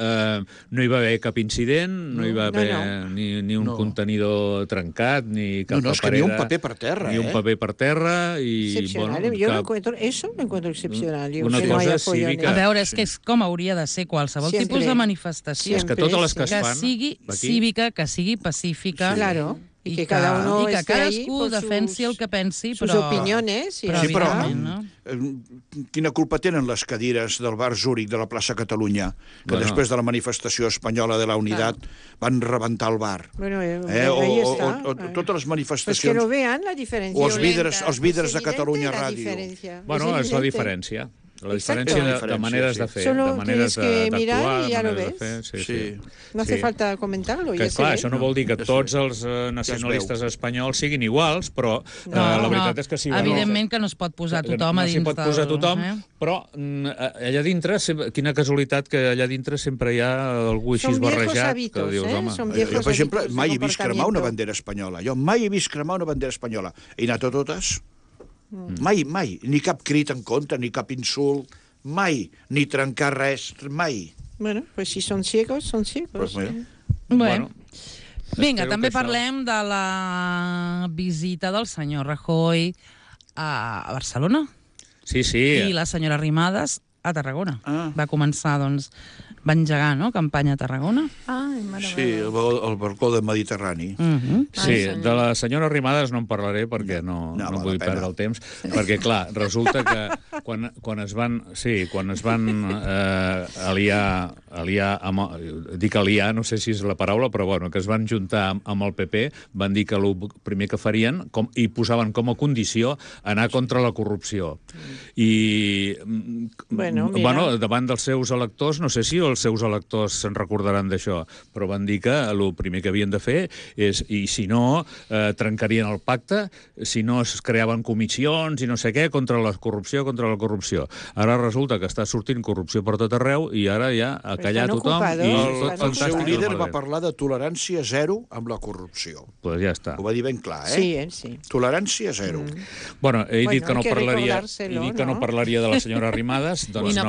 No hi va haver cap incident, no hi va haver ni un contenidor trencat, ni cap paperera. No, és que ni un paper per terra, Ni un paper per terra. Excepcional. Yo lo encuentro, eso lo encuentro excepcional. Una cosa cívica. A veure, és que és com hauria de ser qualsevol tipus de manifestació. És que totes les que es fan... Que sigui cívica, que sigui pacífica. Claro. I que cada uno i que cadascú defensi el que pensi, però... Sus opiniones. Sí, però quina culpa tenen les cadires del bar Zúrich de la plaça Catalunya, que després de la manifestació espanyola de la Unitat van rebentar el bar? Bueno, ahí está. O totes les manifestacions... Pues que lo vean, la diferència. O els vidres de Catalunya Ràdio. Bueno, és la diferència. La diferència de maneres de fer, Solo de maneres d'actuar, y ya lo de ves. fer. Sí. No hace falta comentarlo. Que, clar, això no vol dir que tots els nacionalistes espanyols siguin iguals, però la veritat és que sí... Evidentment que no es pot posar tothom a dins del... No s'hi pot posar tothom, però allà dintre, quina casualitat que allà dintre sempre hi ha algú així barrejat. Que dius, home... Jo, per exemple, mai he vist cremar una bandera espanyola. Jo mai he vist cremar una bandera espanyola. He anat a totes... Mai, ni cap crit en contra, ni cap insult, mai, ni trencar res, mai. Bueno, pues si són ciegos, són ciegos. Bueno. Vinga, també parlem de la visita del senyor Rajoy a Barcelona. Sí. I la senyora Arrimadas a Tarragona. Va començar, doncs, va engegar, no?, campanya a Tarragona. Sí, el balcó del Mediterrani. Sí, de la senyora Arrimadas no en parlaré perquè no vull perdre el temps, perquè, clar, resulta que quan es van aliar, dic aliar, no sé si és la paraula, però bueno, que es van juntar amb el PP, van dir que el primer que farien, i posaven com a condició, anar contra la corrupció. I, bueno, davant dels seus electors, no sé si els seus electors se'n recordaran d'això, però van dir que el primer que havien de fer és, i si no, trencarien el pacte, si no es creaven comissions i no sé què, contra la corrupció. Ara resulta que està sortint corrupció per tot arreu i ara ja ha callat tothom. El seu líder va parlar de tolerància zero amb la corrupció. Doncs ja està. Ho va dir ben clar, Sí. Tolerància zero. Bueno, he dit que no parlaria de la senyora Arrimadas, doncs ja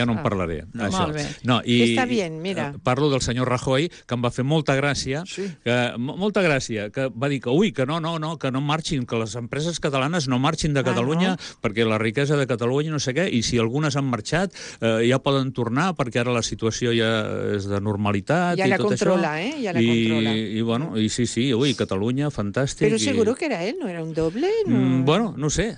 no en parlaré. Molt bé. Està bien, mira. Parlo del senyor Rajoy, que em va fer molta gràcia, que va dir que no marxin, que les empreses catalanes no marxin de Catalunya perquè la riquesa de Catalunya no sé què, i si algunes han marxat ja poden tornar perquè ara la situació ja és de normalitat i tot això. Ja la controla. I bueno, sí, Catalunya, fantàstic. Però seguro que era ell, no era un doble? Bueno, no sé.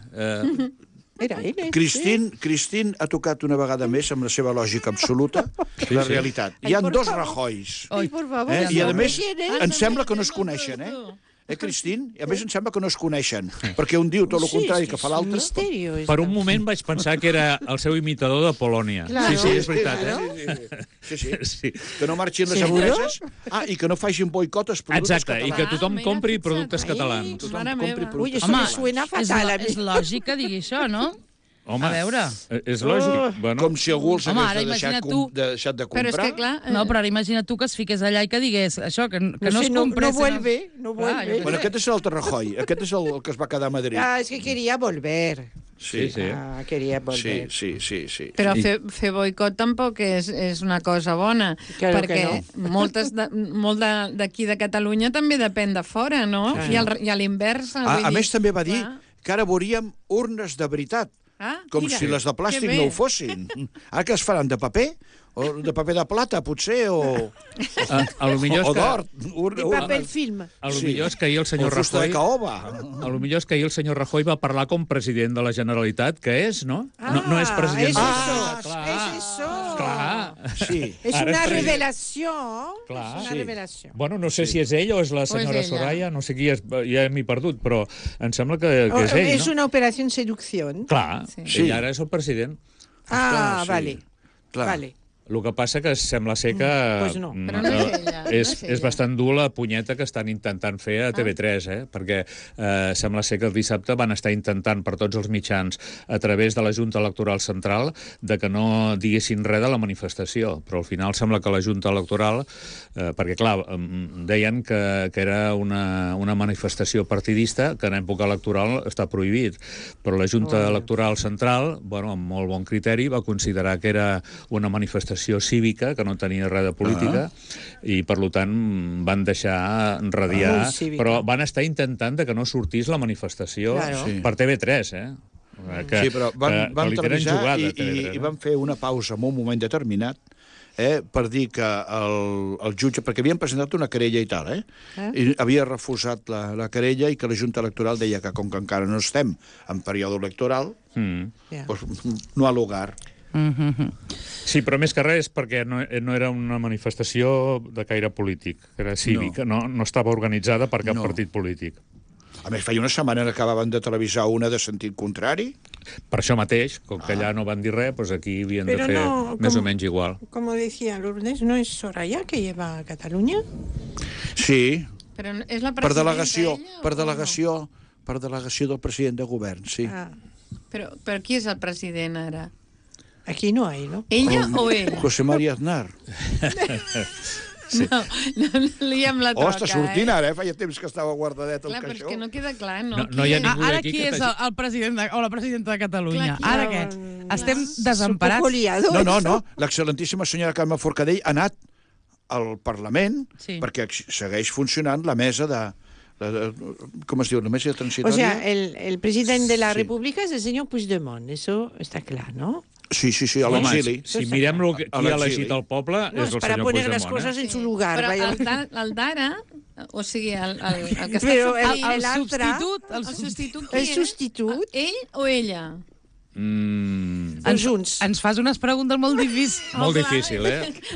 Era ell. Christine ha tocat una vegada més amb la seva lògica absoluta la realitat. Hi ha dos Rajoys. I a més, em sembla que no es coneixen, Christine? I a més em sembla que no es coneixen, perquè un diu tot el contrari que fa l'altre. Per un moment vaig pensar que era el seu imitador de Polònia. Sí, és veritat. Sí. Que no marxin les empreses i que no facin boicot als productes catalans. Exacte, i que tothom compri productes catalans. Ui, això me suena fatal. És lògic que digui això, no? Home, a veure... És lògic. Com si algú els hagués deixat de comprar. Però és que, clar... No, però ara imagina't tu que es fiqués allà i que digués això, que no es comprés... No vuelve. Bueno, aquest és l'altre Rajoy. Aquest és el que es va quedar a Madrid. És que quería volver. Sí. Quería volver. Sí. Però fer boicot tampoc és una cosa bona, perquè molt d'aquí de Catalunya també depèn de fora, no? I a l'invers... A més, també va dir que ara veuríem urnes de veritat, com si les de plàstic no ho fossin. Ara que es faran de paper? O de paper de plata, potser, o d'or. De paper film. Potser és que ahir el senyor Rajoy... Potser és que ahir el senyor Rajoy va parlar com president de la Generalitat, que és, no? No és president de la Generalitat. És això. Clar. Sí. És una revelació. Clar. Bueno, no sé si és ell o és la senyora Soraya, no sé qui és, ja m'he perdut, però em sembla que és ell, no? És una operació seducció. Clar, ell ara és el president. Ah, vale. Vale. El que passa que sembla ser que... Pues no. Però no és ella. És bastant dur la punyeta que estan intentant fer a TV3, perquè sembla ser que el dissabte van estar intentant per tots els mitjans a través de la Junta Electoral Central de que no diguessin res de la manifestació, però al final sembla que la Junta Electoral, perquè clar, deien que era una manifestació partidista que en època electoral està prohibit, però la Junta Electoral Central, amb molt bon criteri, va considerar que era una manifestació cívica, que no tenia res de política, i per tant van deixar radiar, però van estar intentant que no sortís la manifestació per TV3, Sí, però van televisar i van fer una pausa en un moment determinat per dir que el jutge, perquè havien presentat una querella i tal, i havia refusat la querella i que la Junta Electoral deia que com que encara no estem en període electoral, doncs no ha lugar. Sí, però més que res perquè no era una manifestació de caire polític, era cívica, no estava organitzada per cap partit polític. A més, feia una setmana que acabaven de televisar una de sentit contrari. Per això mateix, com que allà no van dir res, doncs aquí havien de fer més o menys igual. Com decía Lourdes, ¿no es Soraya que lleva a Catalunya? Sí. Però és la presidenta per delegació del president de govern, sí. Però qui és el president ara? Aquí no hay, ¿no? ¿Ella o ell? José María Aznar. Sí. No li hem la troca, està sortint ara, feia temps que estava guardadet el caixó. Clar, però és que no queda clar, no? No hi ha ningú ara d'aquí qui és el president o la presidenta de Catalunya? Clar, ara què? Estem desemparats? No. L'excel·lentíssima senyora Carme Forcadell ha anat al Parlament perquè segueix funcionant la mesa de... ¿Cómo se dice? ¿La mesa transitoria? O sea, el presidente de la República es el señor Puigdemont, eso está claro, ¿no? Sí, a l'exili. Si mirem qui ha elegit el poble, és el senyor Puigdemont. Para poner las cosas en su lugar. Però el d'ara, o sigui, el que està el substitut, el substitut, ell o ella? Ens fas unes preguntes molt difícils. Molt difícil,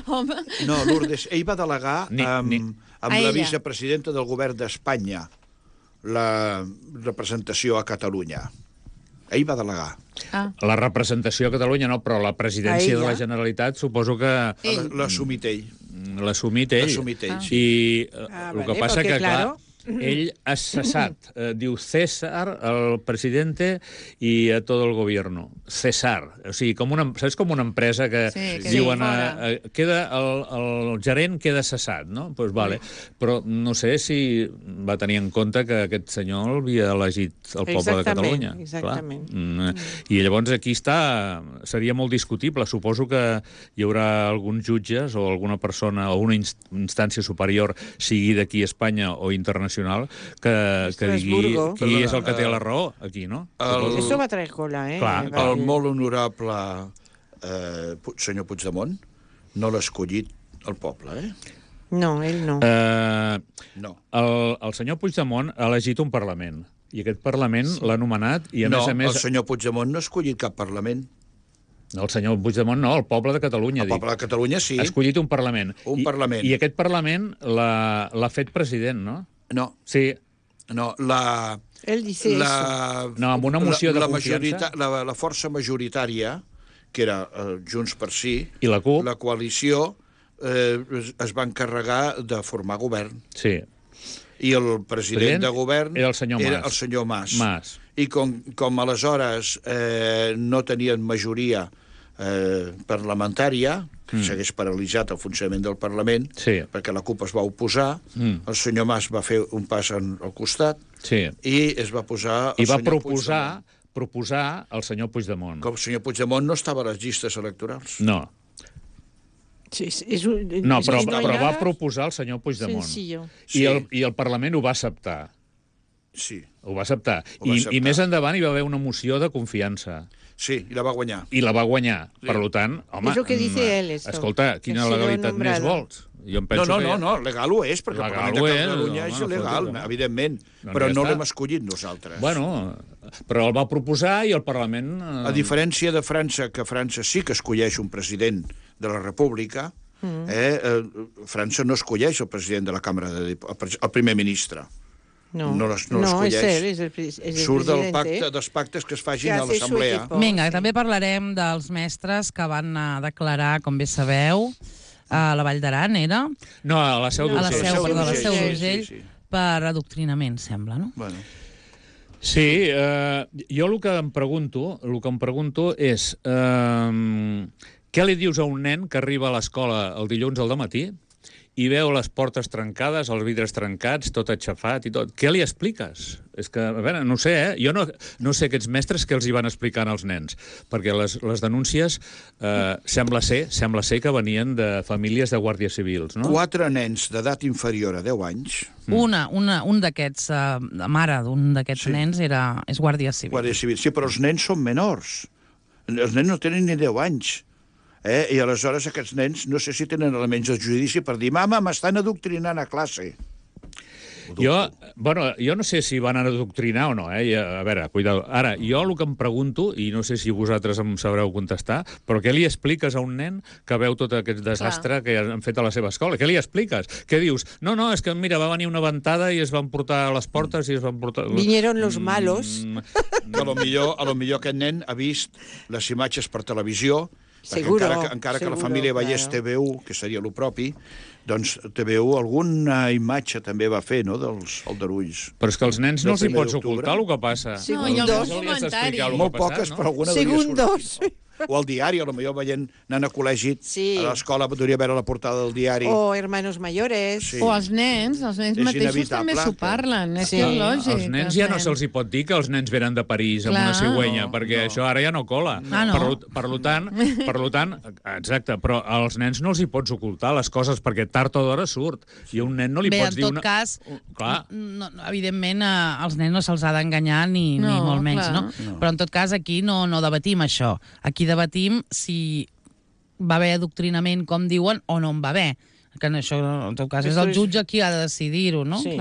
Home. No, Lourdes, ell va delegar amb la vicepresidenta del govern d'Espanya la representació a Catalunya. Ell va delegar. La representació a Catalunya no, però la presidència de la Generalitat suposo que... L'ha assumit ell. L'ha assumit ell. I el que passa que, clar, ell ha cessat, diu César, el presidente i a tot el gobierno. César. O sigui, saps com una empresa que diuen queda el gerent queda cessat, no? Doncs vale. Però no sé si va tenir en compte que aquest senyor havia elegit el poble de Catalunya. Exactament. I llavors aquí seria molt discutible. Suposo que hi haurà alguns jutges o alguna persona o una instància superior, sigui d'aquí a Espanya o internacional, que digui qui és el que té la raó aquí, no? Això va traer cola, Clar, el molt honorable senyor Puigdemont no l'ha escollit el poble, No, ell no. No. El senyor Puigdemont ha elegit un Parlament, i aquest Parlament l'ha nomenat, i a més a més... No, el senyor Puigdemont no ha escollit cap Parlament. No, el senyor Puigdemont no, el poble de Catalunya. El poble de Catalunya, sí. Ha escollit un Parlament. Parlament. I aquest Parlament l'ha fet president, no? No. Sí. No, Él dice eso. No, amb una moció de confiança. La força majoritària, que era Junts per Sí, i la CUP, la coalició, es va encarregar de formar govern. Sí. I el president de govern era el senyor Mas. I com aleshores no tenien majoria parlamentària, s'hagués paralitzat el funcionament del Parlament, perquè la CUP es va oposar, el senyor Mas va fer un pas al costat i es va posar el senyor Puigdemont. proposar el senyor Puigdemont. Com el senyor Puigdemont no estava a les llistes electorals. No. No, però va proposar el senyor Puigdemont. I el Parlament ho va acceptar. Sí. Ho va acceptar. I més endavant hi va haver una moció de confiança. Sí, i la va guanyar. Per tant, home, escolta, quina legalitat més vols? No, legal ho és, perquè el Parlament de Catalunya és il·legal, evidentment, però no l'hem escollit nosaltres. Bueno, però el va proposar i el Parlament... A diferència de França, que França sí que escolleix un president de la República, França no escolleix el president de la Cambra, el primer ministre. No l'escolleix. Surt dels pactes que es facin a l'assemblea. Vinga, també parlarem dels mestres que van declarar, com bé sabeu, a la Vall d'Aran, era? No, a la Seu d'Urgell. A la Seu d'Urgell, per adoctrinament, sembla, no? Bueno. Sí, jo el que em pregunto és què li dius a un nen que arriba a l'escola el dilluns al dematí i veu les portes trencades, els vidres trencats, tot aixafat i tot. Què li expliques? És que, a veure, no sé, Jo no sé aquests mestres què els hi van explicant als nens, perquè les denúncies sembla ser que venien de famílies de guàrdies civils, no? 4 nens d'edat inferior a 10 anys. Un d'aquests, la mare d'un d'aquests nens és guàrdia civil. Guàrdia civil, sí, però els nens són menors. Els nens no tenen ni 10 anys. I aleshores aquests nens no sé si tenen elements de judici per dir mama, m'estan adoctrinant a classe. Jo no sé si van adoctrinar o no, A veure, cuidado. Ara, jo el que em pregunto, i no sé si vosaltres em sabreu contestar, però què li expliques a un nen que veu tot aquest desastre que han fet a la seva escola? Què li expliques? Què dius? No, és que, mira, va venir una ventada i es van portar a les portes i es van portar... Vinieron los malos. A lo millor aquest nen ha vist les imatges per televisió, encara que la família veiés TV1, que seria el propi, doncs TV1 alguna imatge també va fer, no?, dels aldarulls. Però és que als nens no els hi pots ocultar el que passa. No, hi ha alguns comentaris. Molt poques, però alguna devia sortir. O al diari, potser veient anant a col·legi, a l'escola podria veure la portada del diari. O hermanos mayores. O els nens mateixos també s'ho parlen, és lògic. Els nens ja no se'ls hi pot dir que els nens venen de París amb una cigüenya, perquè això ara ja no cola. Per tant, exacte, però als nens no els hi pots ocultar les coses, perquè tard o d'hora surt. I a un nen no li pots dir... Bé, en tot cas, evidentment, als nens no se'ls ha d'enganyar ni molt menys, no? Però en tot cas, aquí no debatim això. Aquí debatim si va haver adoctrinament, com diuen, o no en va haver. Que això, en tot cas, és el jutge qui ha de decidir-ho, no? Sí.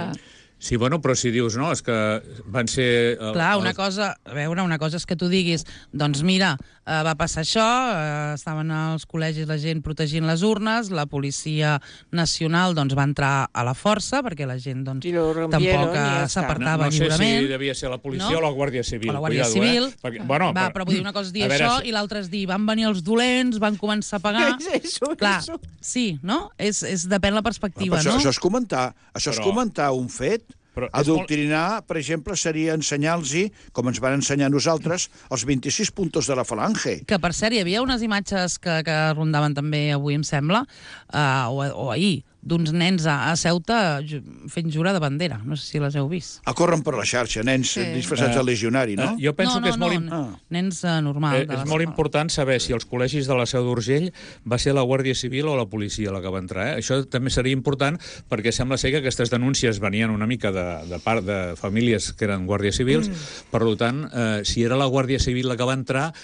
Sí, bueno, però si dius, no, és que van ser... Clar, una cosa és que tu diguis, doncs mira, va passar això, estaven als col·legis la gent protegint les urnes, la Policia Nacional doncs va entrar a la força, perquè la gent doncs tampoc s'apartava lliurement. No sé si devia ser la policia o la Guàrdia Civil. O la Guàrdia Civil. Però vull dir, una cosa és dir això i l'altra és dir, van venir els dolents, van començar a pagar... Clar, sí, no? Depèn la perspectiva, no? Això és comentar un fet. Adoctrinar, per exemple, seria ensenyar-los, com ens van ensenyar nosaltres, els 26 puntos de la falange. Que, per cert, hi havia unes imatges que rondaven també avui, em sembla, o ahir, d'uns nens a Ceuta fent jura de bandera. No sé si les heu vist. Corren per la xarxa, nens disfressats de legionari, no? Jo penso que és molt... Nens normal. És molt important saber si els col·legis de la Seu d'Urgell va ser la Guàrdia Civil o la policia la que va entrar. Això també seria important perquè sembla ser que aquestes denúncies venien una mica de part de famílies que eren guàrdies civils. Per tant, si era la Guàrdia Civil la que va entrar,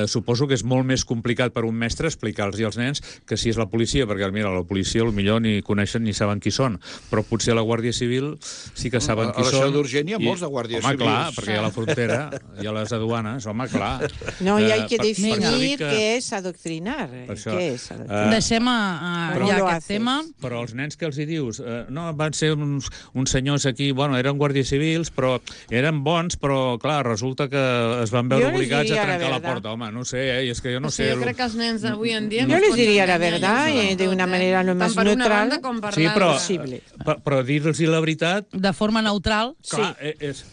suposo que és molt més complicat per un mestre explicar-los als nens que si és la policia, perquè mira, la policia potser ni coneixen ni saben qui són, però potser a la Guàrdia Civil sí que saben qui són. A la Seu d'Urgell hi ha molts de guàrdies civils. Home, clar, perquè hi ha la frontera, hi ha les aduanes, home, clar. No, i hay que definir què és adoctrinar. Deixem ja aquest tema. Però els nens que els hi dius, no, van ser uns senyors aquí, bueno, eren guàrdies civils, però eren bons, però, clar, resulta que es van veure obligats a trencar la porta. Home, no sé, és que jo no sé. Jo crec que els nens d'avui en dia... Jo les diria la verdad, de una manera lo més neutral. Sí, però dir-los la veritat... De forma neutral. Clar, és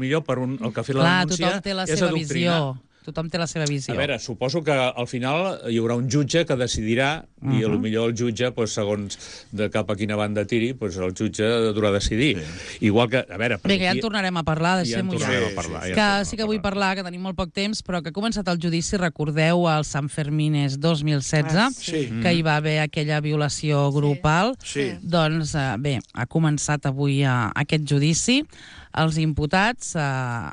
millor per el que ha fet la denúncia, és adoctrinar. Tothom té la seva visió. A veure, suposo que al final hi haurà un jutge que decidirà, i potser el jutge, segons de cap a quina banda tiri, el jutge haurà de decidir. Igual que, a veure... Bé, que ja en tornarem a parlar, deixem-ho ja. Que sí que vull parlar, que tenim molt poc temps, però que ha començat el judici, recordeu, al Sant Fermines 2016, que hi va haver aquella violació grupal. Doncs, bé, ha començat avui aquest judici. Els imputats a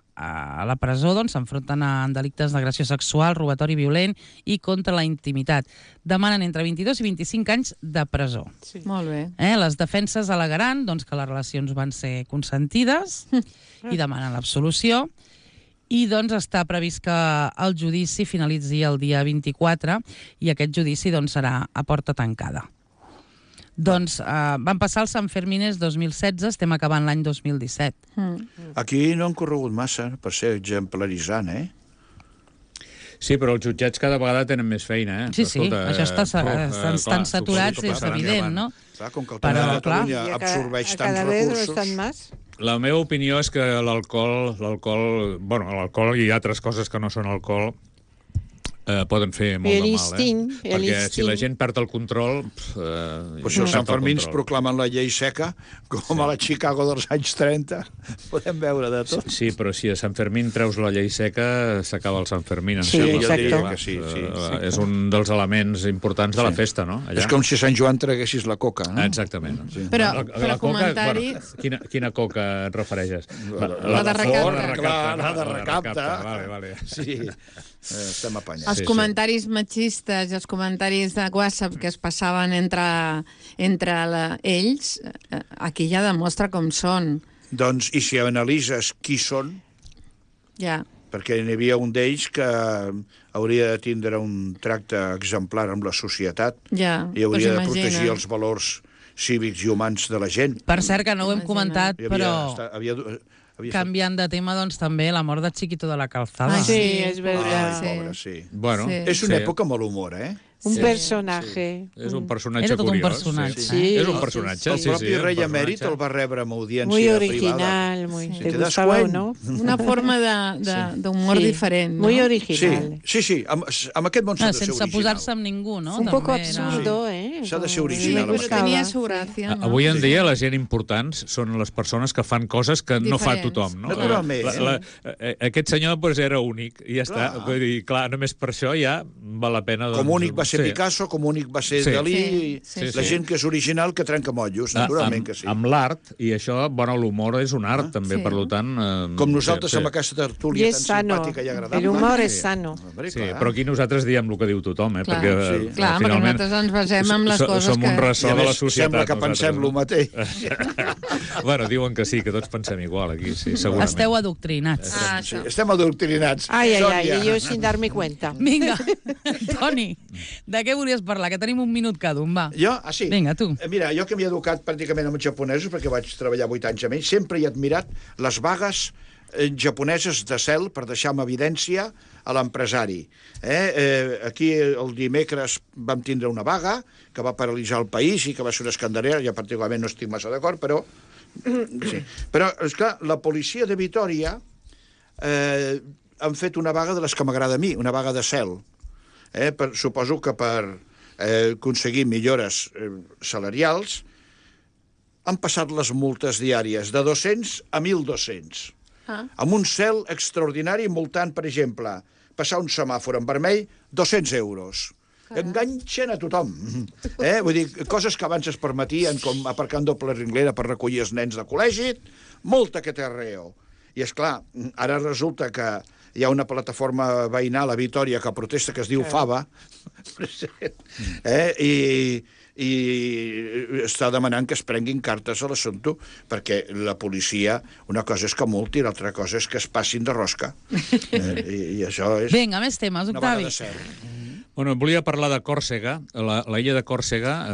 la presó s'enfronten a delictes d'agressió sexual, robatori violent i contra la intimitat. Demanen entre 22 i 25 anys de presó. Sí. Molt bé. Les defenses al·legaran que les relacions van ser consentides i demanen l'absolució. I està previst que el judici finalitzi el dia 24 i aquest judici serà a porta tancada. Doncs van passar els Sanfermines 2016, estem acabant l'any 2017. Aquí no han corregut massa per ser exemplaritzant, Sí, però els jutjats cada vegada tenen més feina, Sí, això estan saturats, és evident, no? Clar, com que el tema de Catalunya absorbeix tants recursos... La meva opinió és que l'alcohol, i altres coses que no són alcohol, poden fer molt de mal, perquè si la gent perd el control... Per això els Sanfermins proclamen la llei seca, com a la Chicago dels anys 30. Podem veure de tot. Sí, però si a Sant Fermín treus la llei seca, s'acaba el Sant Fermín. Sí, exacte. És un dels elements importants de la festa, no? És com si a Sant Joan traguessis la coca, no? Exactament. Però comentari... Quina coca et refereixes? La de recapta. La de recapta. Vale. Sí, estem apanyats. Els comentaris machistes i els comentaris de WhatsApp que es passaven entre ells, aquí ja demostra com són. Doncs, i si analitzes qui són, perquè n'hi havia un d'ells que hauria de tindre un tracte exemplar amb la societat i hauria de protegir els valors cívics i humans de la gent. Per cert, que no ho hem comentat, però... Canviant de tema, doncs, també la mort de Chiquito de la Calzada. Sí, és veritat. Pobre, sí. Bueno, és una època amb molt humor, Un personatge. És un personatge Era tot un curiós. personatge. És un personatge. El propi rei emèrit el va rebre amb audiència muy privada. original, muy... ¿Te gustaba o no? Una forma d'humor diferent, no? Muy original. Sí, amb aquest món s'ha de ser original. Sense posar-se amb ningú, no? Un poco absurdo, S'ha de ser original. Però tenia su gràcia, no? Avui en dia la gent importants són les persones que fan coses que no fa tothom, no? Naturalment. Aquest senyor era únic, i ja està. Vull dir, clar, només per això ja val la pena... Com únic va ser Picasso, com únic va ser Dalí, la gent que és original que trenca motllos, naturalment que sí. Amb l'art, i això, l'humor és un art, també, per tant... Com nosaltres amb aquesta tertúlia tan simpàtica i agradable. El humor és sano. Sí, però aquí nosaltres diem el que diu tothom, perquè nosaltres ens basem en les coses que... Som un ressò de la societat. Sembla que pensem el mateix. Bueno, diuen que sí, que tots pensem igual aquí, sí, segurament. Esteu adoctrinats. Estem adoctrinats. Ai, jo sin darme cuenta. Vinga, Toni, de què volies parlar? Que tenim un minut cada un, va. Jo? Sí. Vinga, tu. Mira, jo que m'he educat pràcticament amb els japonesos, perquè vaig treballar 8 anys amb ells, sempre he admirat les vagues japoneses de cel per deixar en evidència a l'empresari. Aquí el dimecres vam tindre una vaga que va paralitzar el país i que va ser una escandalera, jo particularment no estic massa d'acord, però... Sí. Però, esclar, la policia de Vitòria han fet una vaga de les que m'agrada a mi, una vaga de cel. Suposo que per aconseguir millores salarials han passat les multes diàries de 200 a 1.200. Amb un cel extraordinari multant, per exemple, passar un semàfor en vermell, 200 euros. Enganxen a tothom. Vull dir, coses que abans es permetien, com aparcar en doble renglera per recollir els nens de col·legi, multa que té arreo. I, esclar, ara resulta que hi ha una plataforma veïnal a Vitòria que protesta, que es diu Fava, i està demanant que es prenguin cartes a l'assumpte, perquè la policia, una cosa és que multi, l'altra cosa és que es passin de rosca. I això és... Vinga, més temes, Octavi. Una vaga de cel. Bueno, volia parlar de Còrsega. La illa de Còrsega,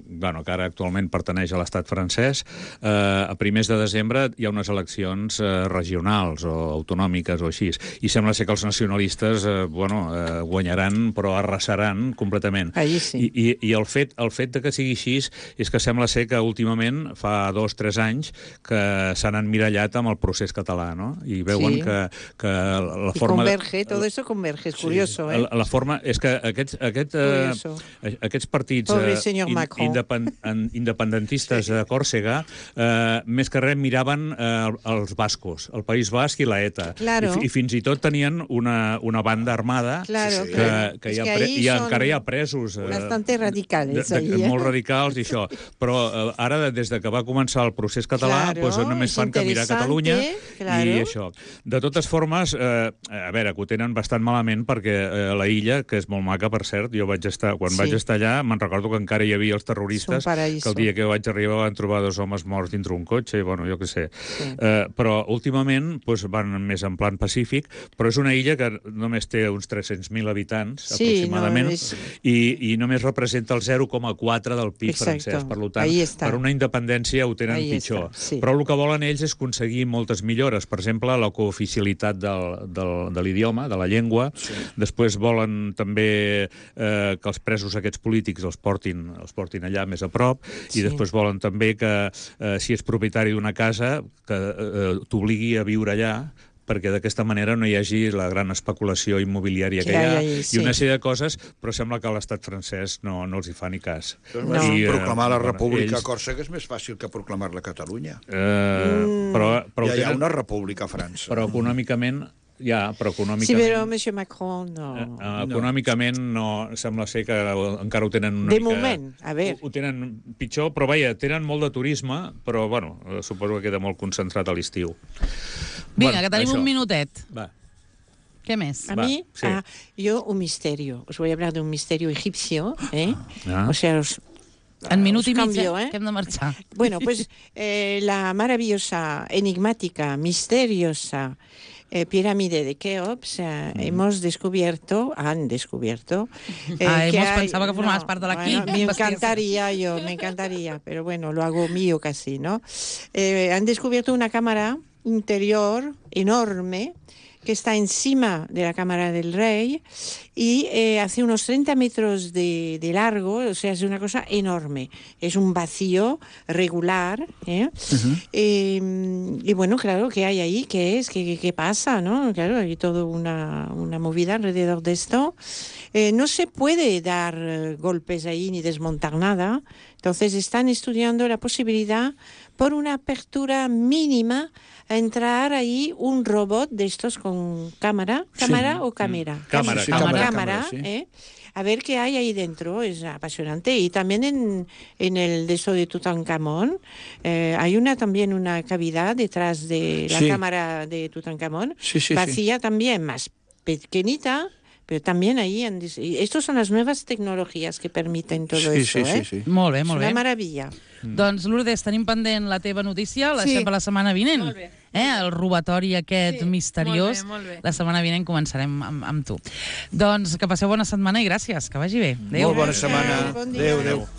que ara actualment pertaneix a l'estat francès, a primers de desembre hi ha unes eleccions regionals o autonòmiques o així. I sembla ser que els nacionalistes guanyaran, però arrasaran completament. Allí sí. I el fet de que sigui així és que sembla ser que últimament, fa 2 o 3 anys, que s'han emmirallat amb el procés català, no? I veuen que la forma... I converge, todo eso converge, és curioso, La forma és que aquests partits independentistes de Còrsega més que res miraven els bascos, el País Basc i la ETA. I fins i tot tenien una banda armada que encara hi ha presos. Bastante radicals. Molt radicals i això. Però ara, des de que va començar el procés català, només fan que mirar Catalunya i això. De totes formes, a veure, que ho tenen bastant malament perquè la illa, que és molt maca, maca, per cert. Jo vaig estar, quan vaig estar allà, me'n recordo que encara hi havia els terroristes, que el dia que vaig arribar van trobar 2 homes morts dintre un cotxe, i bueno, jo què sé. Però últimament van més en plan pacífic, però és una illa que només té uns 300.000 habitants, aproximadament, i només representa el 0,4 del PIB francès. Per tant, per una independència ho tenen pitjor. Però el que volen ells és aconseguir moltes millores. Per exemple, la cooficialitat de l'idioma, de la llengua. Després volen també que els presos aquests polítics els portin allà més a prop, i després volen també que si és propietari d'una casa que t'obligui a viure allà, perquè d'aquesta manera no hi hagi la gran especulació immobiliària que hi ha, i una sèrie de coses, però sembla que l'estat francès no els hi fa ni cas. Proclamar la República a Còrsega és més fàcil que proclamar-la a Catalunya. Ja hi ha una república a França. Però econòmicament... Sí, però M. Macron no... Econòmicament no, sembla ser que encara ho tenen una mica... De moment, a veure... Ho tenen pitjor, però vaja, tenen molt de turisme, però bueno, suposo que queda molt concentrat a l'estiu. Vinga, que tenim un minutet. Va. ¿Qué més? A mí, yo un misterio. Os voy a hablar de un misterio egipcio, O sea, en minut i mig, que hem de marxar. Bueno, pues la maravillosa, enigmática, misteriosa pirámide de Keops, han descubierto pensaba que formabas parte de la me encantaría, pero bueno, lo hago mío casi, ¿no? Han descubierto una cámara interior enorme que está encima de la Cámara del Rey y hace unos 30 metros de largo, o sea, es una cosa enorme. Es un vacío regular. Y bueno, claro, ¿qué hay ahí? ¿Qué es? ¿Qué pasa? ¿No? Claro, hay toda una movida alrededor de esto. No se puede dar golpes ahí ni desmontar nada. Entonces están estudiando la posibilidad, por una apertura mínima, a entrar ahí un robot de estos con cámara. ¿Cámara o cámara? Cámara, a ver qué hay ahí dentro. Es apasionante. Y también en el de eso de Tutankamón hay también una cavidad detrás de la cámara de Tutankamón, vacía también, más pequeñita, pero también ahí... Estas son las nuevas tecnologías que permiten todo eso. Molt bé, és una meravella. Doncs, Lourdes, tenim pendent la teva notícia, la deixem per la setmana vinent. Molt bé. El robatori aquest misteriós. Molt bé. La setmana vinent començarem amb tu. Doncs que passeu bona setmana i gràcies, que vagi bé. Adéu. Molt bona setmana. Adéu. Adéu.